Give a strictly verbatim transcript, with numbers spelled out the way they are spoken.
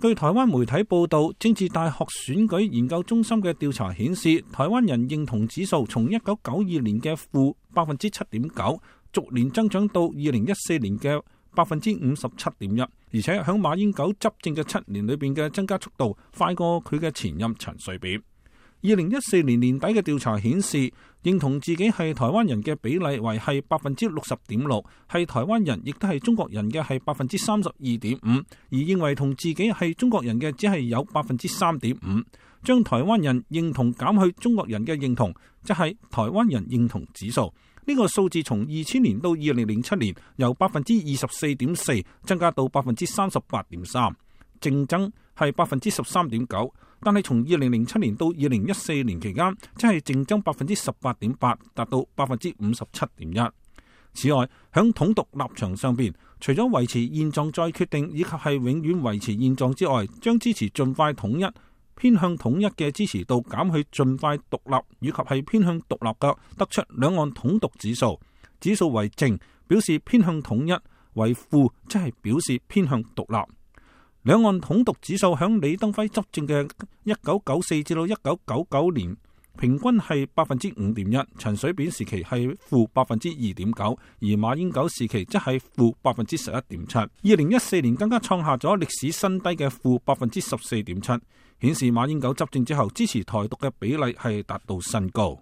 據台灣媒體報道，政治大學選舉研究中心嘅調查顯示，台灣人認同指數從一九九二年嘅負百分之七點九，逐年增長到二零一四年嘅百分之五十七點一，而且響馬英九執政嘅七年裏邊嘅增加速度快過佢嘅前任陳水扁。二零一四年年底嘅調查顯示，認同自己係台灣人嘅比例為係百分之六十點六，係台灣人亦都係中國人嘅係百分之三十二點五，而認為同自己係中國人嘅只係有百分之三點五。將台灣人認同減去中國人嘅認同，即係台灣人認同指數。呢個數字從二千年到二零零七年由百分之二十四點四增加到百分之三十八點三，淨增係百分之十三點九。但係從二零零七年到二零一四年期間，即係淨增百分之十八點八，達到百分之五十七點一。此外，響統獨立場上邊，除咗維持現狀再決定，以及係永遠維持現狀之外，將支持盡快統一、偏向統一嘅支持度減去盡快獨立，以及係偏向獨立嘅，得出兩岸統獨指數。指數為正，表示偏向統一；為負，即係表示偏向獨立。兩岸統獨指數響李登輝執政嘅一九九四至到一九九九年平均係百分之五點一，陳水扁時期係負百分之二點九，而馬英九時期則係負百分之十一點七。二零一四年更加創下咗歷史新低嘅負百分之十四點七，顯示馬英九執政之後支持台獨嘅比例係達到新高。